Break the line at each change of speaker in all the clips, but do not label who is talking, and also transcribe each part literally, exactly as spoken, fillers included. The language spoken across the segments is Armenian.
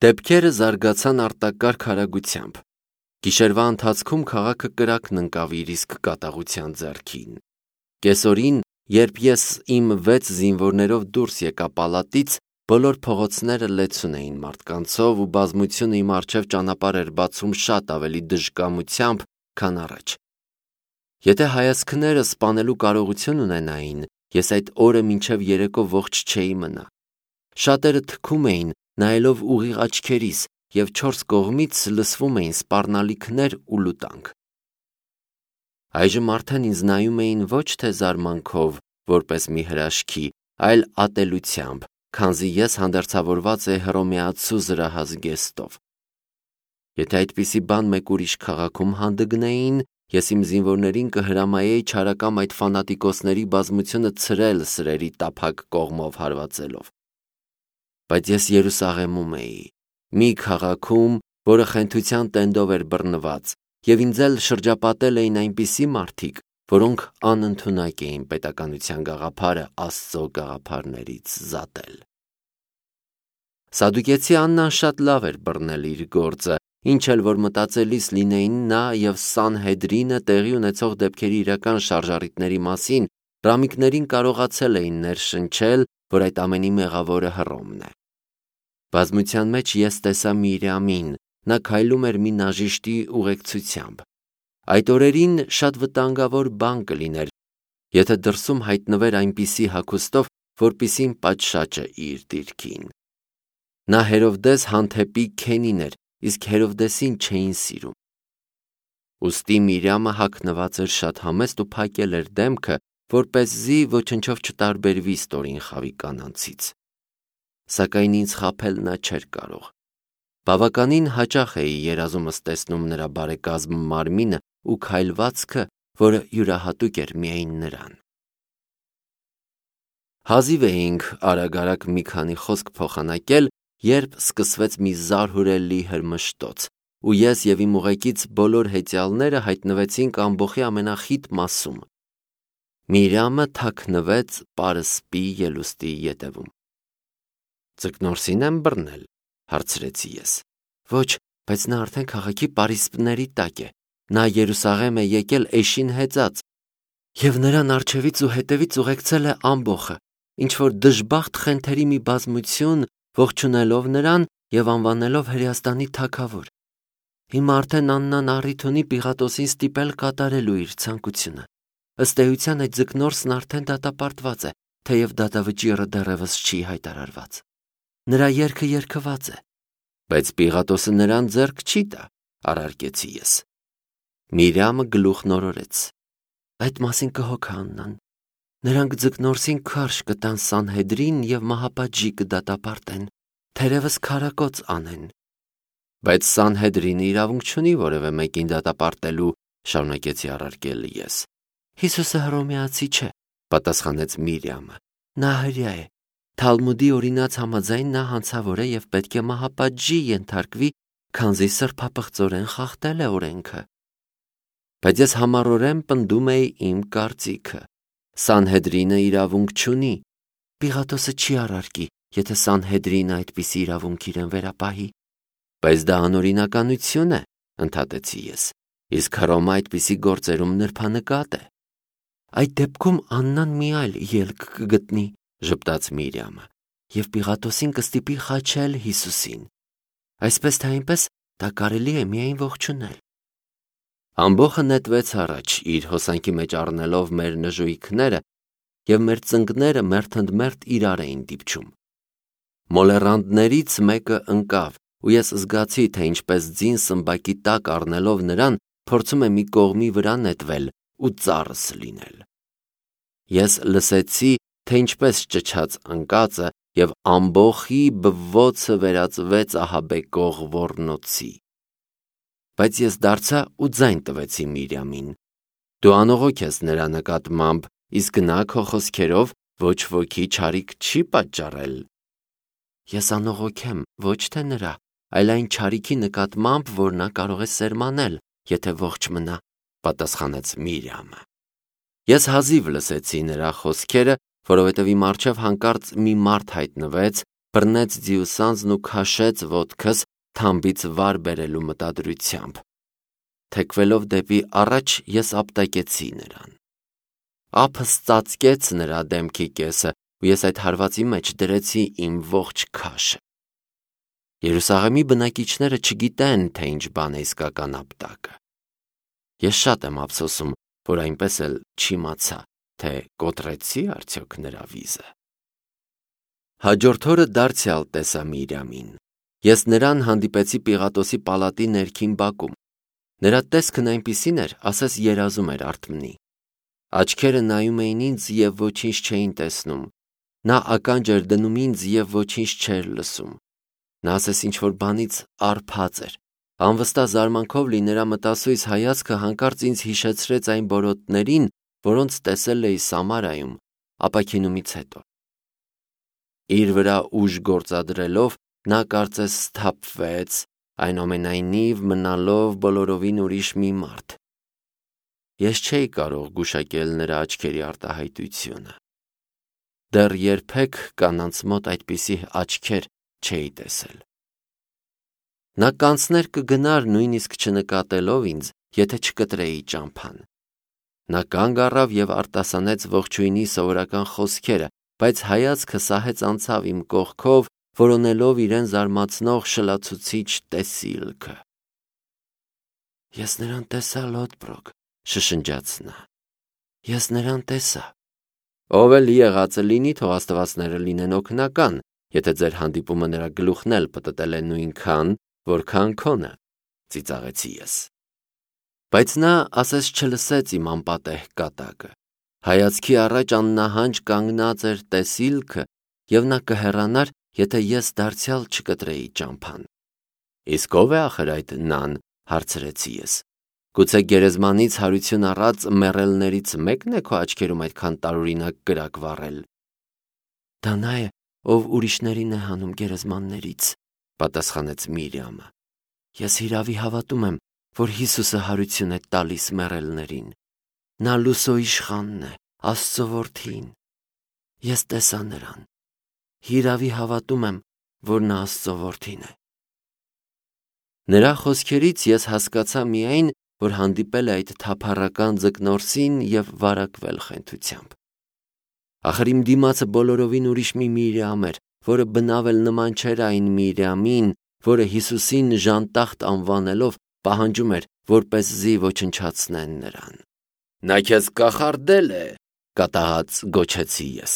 Դեպքերը զարգացան արտակարգ արագությամբ։ Գիշերվա ընթացքում քաղաքը կրակն ընկավ իր իսկ կատաղության ձեռքին։ Կեսօրին, երբ ես իմ վեց զինվորներով դուրս եկա պալատից, բոլոր փողոցները լեցուն էին մարդկանցով ու բազմությունը իմ առջև ճանապարհ էր բացում շատ ավելի դժկամությամբ, քան առաջ։ Եթե հայացքները սպանելու կարողություն ունենային, ես այդ օրը մինչև երեկո ողջ չէի մնա։ Շատերը թքում էին, նայելով ուղիղ աչքերիս, և չորս կողմից լսվում էին սպառնալիքներ ու լուտանք։ Այժմ արդեն ինձ նայում էին ոչ թե զարմանքով, որպես մի հրաշքի, այլ ատելությամբ, քանզի ես հանդերձավորված էի հռոմեացու զրահ զգեստով։ Եթե այդպիսի բան մեկ ուրիշ քաղաքում հանդգնեին, ես իմ զինվորներին կհրամայեի չարակամ այդ ֆանատիկոսների բազմությունը ցրել սրերի տափակ կողմով հարվածելով։ Բայց ես Երուսաղեմում էի, մի քաղաքում, որը խենթության տենդով էր բռնված, և ինձ էլ շրջապատել էին այնպիսի մարդիկ, որոնք անընդունակ էին պետականության գաղափարը Աստծո գաղափարներից զատել։ Սադուկեցի Աննան շատ լավ էր բռնել իր գործը, ինչ էլ որ մտածելիս լինեին նա և Սանհեդրինը տեղի ունեցող դեպքերի իրական շարժառիթների մասին, ռամիկներին կարողացել էին ներշնչել, որ այդ ամենի մեղավորը Հռոմն է։ Բազմության մեջ ես տեսա Միրիամին, նա քայլում էր մի նաժիշտի ուղեկցությամբ։ Այդ օրերին շատ վտանգավոր բան կլիներ, եթե դրսում հայտնվեր այնպիսի հագուստով, որպիսին պատշաճը իր դիրքին։ Նա Հերովդես Հանթեպի քենին էր, իսկ Հերովդեսին չէին սիրում։ Ուստի Միրիամը հագնված էր շատ համեստ ու փակել էր դեմքը, որպեսզի ոչնչով չտարբերվի ստորին խավի կանանցից։ Սակայն ինձ խաբել նա չէր կարող։ Բավականին հաճախ էի երազումս տեսնում նրա բարեկազմ մարմինը ու քայլվածքը, որը յուրահատուկ էր միայն նրան։ Հազիվ էինք արագ-արագ մի քանի խոսք փոխանակել, երբ սկսվեց մի զարհուրելի հրմշտոց, ու ես և իմ ուղեկից բոլոր հեծյալները հայտնվեցինք ամբոխի ամենախիտ մասում։ Միրիամը թաքնվեց պարսպի ելուստի ետևում։ Ձկնորսին եմ բռնել, հարցրեցի ես։ Ոչ, բայց նա արդեն քաղաքի պարիսպների տակ է։ Նա Երուսաղեմ է եկել էշին հեծած, և նրան առջևից ու հետևից ուղեկցել է ամբոխը, ինչ-որ դժբախտ խենթերի մի բազմություն, ողջունելով նրան և անվանելով Հրեաստանի թագավոր։ Հիմա արդեն Աննան առիթ ունի Պիղատոսին ստիպել կատարելու իր ցանկությունը։ Ըստ էության այդ ձկնորսն արդեն դատապարտված է, թեև դատավճիռը դեռևս չի հայտարարված։ Նրա երգը երգված է, բայց Պիղատոսը նրան ձեռք չի տա, առարկեցի ես։ Միրիամը գլուխ նորորեց։ Այդ մասին կհոգա Աննան։ Նրանք ձկնորսին քարշ կտան Սանհեդրին և մահապատժի կդատապարտեն, թերևս քարակոծ անեն։ Բայց Սանհեդրինը իրավունք չունի որևէ մեկին դատապարտելու, շարունակեցի առարկել ես։ Հիսուսը հռոմեացի չէ, պատասխանեց Միրիամը։ Նա հրեա է։ Թալմուդի օրինաց համաձայն նա հանցավոր է և պետք է մահապատժի ենթարկվի, քանզի սրբապղծորեն խախտել է օրենքը։ Բայց ես համառորեն պնդում էի իմ կարծիքը։ Սանհեդրինը իրավունք չունի։ Պիղատոսը չի առարկի, եթե Սանհեդրինը այդպիսի իրավունք իրեն վերապահի։ Բայց դա անօրինականություն է, ընդհատեցի ես, իսկ Հռոմը այդպիսի գործերում նրբանկատ է։ Այդ դեպքում Աննան մի այլ ելք կգտնի, ժպտաց Միրիամը, և Պիղատոսին կստիպի խաչել Հիսուսին։ Այսպես թե այնպես դա կարելի է միայն ողջունել։ Ամբոխը նետվեց առաջ, իր հոսանքի մեջ առնելով մեր նժույգները, և մեր ծնկները մերթընդմերթ իրար էին դիպչում։ Մոլեռանդներից մեկը ընկավ, ու ես զգացի, թե ինչպես ձին սմբակի տակ առնելով նրան, փորձում է մի կողմի վրա նետվել ու ծառս լինել։ Ես լսեցի, թե ինչպես ճչաց ընկածը, և ամբոխի բվոցը վերածվեց ահաբեկող ոռնոցի։ Բայց ես դարձա ու ձայն տվեցի Միրիամին։ Դու անողոք ես նրա նկատմամբ, իսկ նա քո խոսքերով ոչ ոքի չարիք չի պատճառել։ Ես անողոք եմ ոչ թե նրա, այլ այն չարիքի նկատմամբ, որ նա կարող է սերմանել, եթե ողջ մնա, պատասխանեց Միրիամը։ Ես հազիվ լսեցի նրա խոսքերը, որովհետև իմ առջև հանկարծ մի մարդ հայտնվեց, բռնեց ձիուսանձն ու քաշեց ոտքս թամբից վար բերելու մտադրությամբ։ Թեքվելով դեպի առաջ ես ապտակեցի նրան։ Ափս ծածկեց նրա դեմքի կեսը ու ես այդ հարվածի մեջ դրեցի իմ ողջ քաշը։ Երուսաղեմի բնակիչները չգիտեն, թե ինչ բան է իսկական ապտակը։ Ես շատ եմ ափսոսում, որ այնպես էլ չիմացա, թե կոտրեցի արդյոք նրա վիզը։ Հաջորդ օրը դարձյալ տեսա Միրիամին։ Ես նրան հանդիպեցի Պիղատոսի պալատի ներքին բակում։ Նրա տեսքն այնպիսին էր, ասես երազում էր արթմնի։ Աչքերը նայում էին ինձ և ոչինչ չէին տեսնում։ Նա ականջ էր դնում ինձ և ոչինչ չէր լսում։ Նա ասես ինչ-որ բանից արբած էր։ Անվստահ զարմանքով լի նրա մտասույս հայացքը հանկարծ ինձ հիշեցրեց այն բորոտներին, որոնց տեսել էի Սամարայում ապաքինումից հետո։ Իր վրա ուժ գործադրելով նա կարծես սթափվեց, այնուամենայնիվ մնալով բոլորովին ուրիշ մի մարդ։ Ես չէի կարող գուշակել նրա աչքերի արտահայտությունը։ Դեռ երբեք կանանց մոտ այդպիսի աչքեր չէի տեսել։ Նա կանցներ կգնար նույնիսկ չնկատելով ինձ, եթե չկտրեի ճամփան։ Նա կանգ առավ և արտասանեց ողջույնի սովորական խոսքերը, բայց հայացքը սահեց անցավ իմ կողքով, որոնելով իրեն զարմացնող շլացուցիչ տեսիլքը։ Ես նրան տեսա, Լոդբրոկ, շշնջաց նա։ Ես նրան տեսա։ Ով էլ եղածը լինի, թող աստվածները լինեն օգնական, եթե ձեր հանդիպումը նրա գլուխն էլ պտտել է նույնքան, որքան քոնը, ծիծաղեցի ես։ Բայց նա ասես չլսեց իմ անպատեհ կատակը։ Հայացքի առաջ աննահանջ կանգնած էր տեսիլքը, և նա կհեռանար, եթե ես դարձյալ չկտրեի ճամփան։ Իսկ ով է ախր այդ նան, հարցրեցի ես։ Գուցե գերեզմանից հարություն առած մեռելներից մեկն է քո աչքերում այդքան տարօրինակ կրակ վառել։ Դա նա է, ով ուրիշներին է հանում գերեզմաններից, պատասխանեց Միրիամը։ Ես հիրավի հավատում եմ, որ Հիսուսը հարություն է տալիս մեռելներին։ Նա լուսո իշխանն է, Աստծո որդին։ Ես տեսա նրան։ Հիրավի հավատում եմ, որ նա Աստծո որդին է։ Նրա խոսքերից ես հասկացա միայն, որ հանդիպել է այդ թափառական ձկնորսին և վարակվել խենթությամբ։ Ախր իմ դիմացը բոլորովին ուրիշ մի Միրիամ էր, որը բնավ էլ նման չէր այն Միրիամին, որը Հիսուսին ժանտախտ անվանելով պահանջում էր, որպեսզի ոչնչացնեն նրան։ Նա քեզ կախարդել է, կատաղած գոչեցի ես։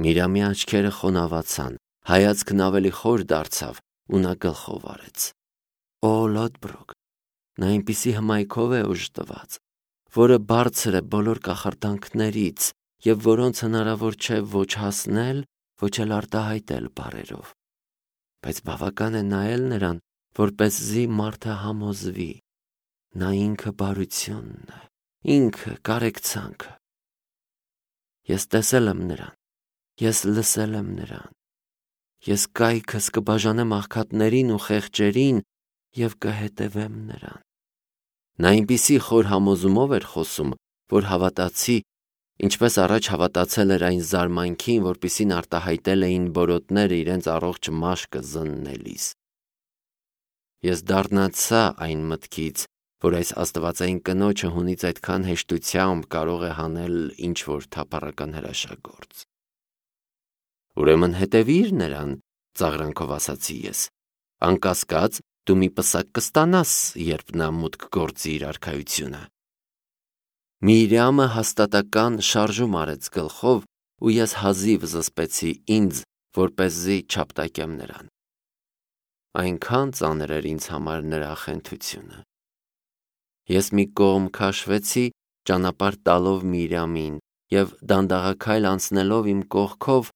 Միրիամի աչքերը խոնավացան, հայացքն ավելի խոր դարձավ ու նա գլխով արեց։ Օ, Լոդբրոկ, նա այնպիսի հմայքով է օժտված, որը բարձր է բոլոր կախարդանքներից և որոնց հնարավոր չէ ոչ հասնել, ոչ էլ արտահայտել բառերով։ Բայց բավական է նայել նրան, որպեսզի մարդը համոզվի։ Նա ինքը բարությունն է, ինքը կարեկցանքը։ Ես տեսել եմ նրան, ես լսել եմ նրան։ Ես կայքս կբաժանեմ աղքատներին ու խեղճերին և կհետևեմ նրան։ Նա այնպիսի խոր համոզումով էր խոսում, որ հավատացի, ինչպես առաջ հավատացել էր այն զարմանքին, որպիսին արտահայտել էին բորոտները իրենց առողջ մաշկը զննելիս։ Ես դառնացա այն մտքից, որ այս աստվածային կնոջը հունից այդքան հեշտությամբ կարող է հանել ինչ-որ թափառական հրաշագործ։ Ուրեմն հետևիր նրան, ծաղրանքով ասացի ես։ Անկասկած դու մի պսակ կստանաս, երբ նա մուտք գործի իր արքայությունը։ Միրիամը հաստատական շարժում արեց գլխով, ու ես հազիվ զսպեցի ինձ, որպեսզի չապտակեմ նրան։ Այնքան ծանր էր ինձ համար նրա խենթությունը։ Ես մի կողմ քաշվեցի, ճանապարհ տալով Միրիամին, և դանդաղաքայլ անցնելով իմ կողքով,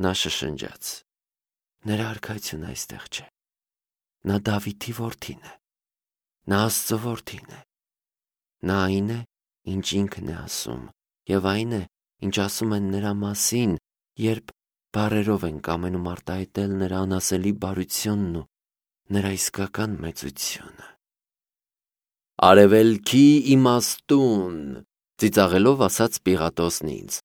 նա շշնջաց. Նրա արքայությունը այստեղ չէ։ Նա Դավիթի որդին է։ Նա Աստծո որդին է։ Նա այն է, ինչ ինքն է ասում, և այն է, ինչ ասում են նրա մասին, երբ բառերով են կամենում արտահայտել նրա անասելի բարությունն ու նրա իսկական մեծությունը։ Արևելքի իմաստուն, ծիծաղելով ասաց Պիղատոսն ինձ։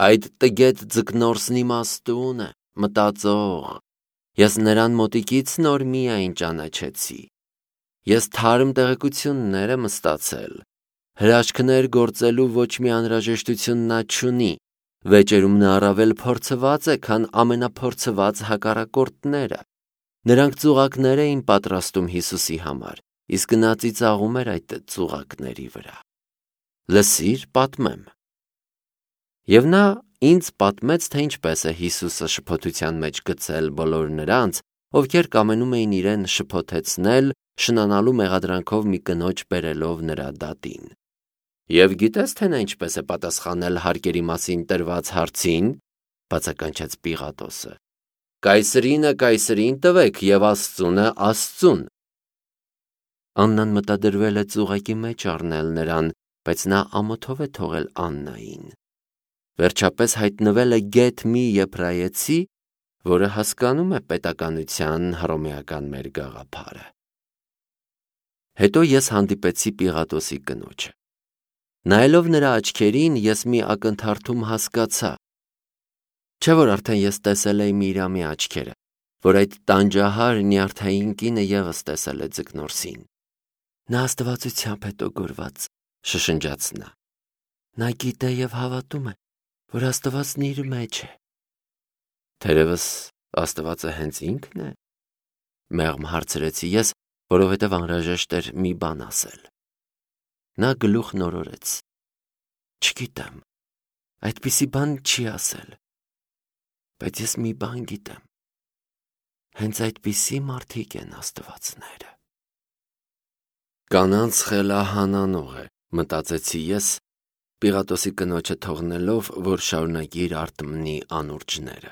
Այդ տգետ ձկնորսն իմաստուն է։ մտածող, ես նրան մոտիկից նոր միայն ճանաչեցի։ Ես թարմ տեղեկություններ եմ ստացել, հրաշքներ գործելու ոչ մի անհրաժեշտություն նա չունի, վեճերում նա առավել փորձված է, քան ամենափորձված հակառակորդները։ Նրանք ծուղակներ էին պատրաստում Հիսուսի համար, իսկ նա ծիծաղում էր այդ ծուղակների վրա։ Լսիր, պատմեմ։ Եվ նա ինձ պատմեց, թե ինչպես է Հիսուսը շփոթության մեջ գցել բոլոր նրանց, ովքեր կամենում էին իրեն շփոթեցնել, շնանալու մեղադրանքով մի կնոջ բերելով նրա դատին։ Եվ գիտես, թե նա ինչպես է պատասխանել հարկերի մասին տրված հարցին, բացականչեց Պիղատոսը։ Կայսրինը կայսրին տվեք և Աստծունը Աստծուն։ Աննան մտադրվել է ծուղակի մեջ առնել նրան, բայց նա ամոթով է թողել Աննային։ Վերջապես հայտնվել է գեթ մի եբրայեցի, որը հասկանում է պետականության հռոմեական մեր գաղափարը։ Հետո ես հանդիպեցի Պիղատոսի կնոջը։ Նայելով նրա աչքերին, ես մի ակնթարթում հասկացա, չէ՞ որ արդեն ես տեսել էի Միրամի աչքերը, որ այդ տանջահար նյարդային կինը ևս տեսել է ձկնորսին։ Նա աստվածությամբ հետո գորված, շշնջաց նա։ Նա գիտե և հավատում է, որ Աստվածն իր մեջ է։ Թերևս Աստվածը հենց ինքն է, մեղմ հարցրեցի ես, որովհետև անհրաժեշտ էր մի բան ասել։ Նա գլուխ նորորեց։ Չգիտեմ, այդպիսի բան չի ասել, բայց ես մի բան գիտեմ, հենց այդպիսի մարդիկ են աստվածները։ Կանանց խելահանանող է, մտածեցի ես, Պիղատոսի կնոջը թողնելով, որ շարունակի իր արտմնի անուրջները։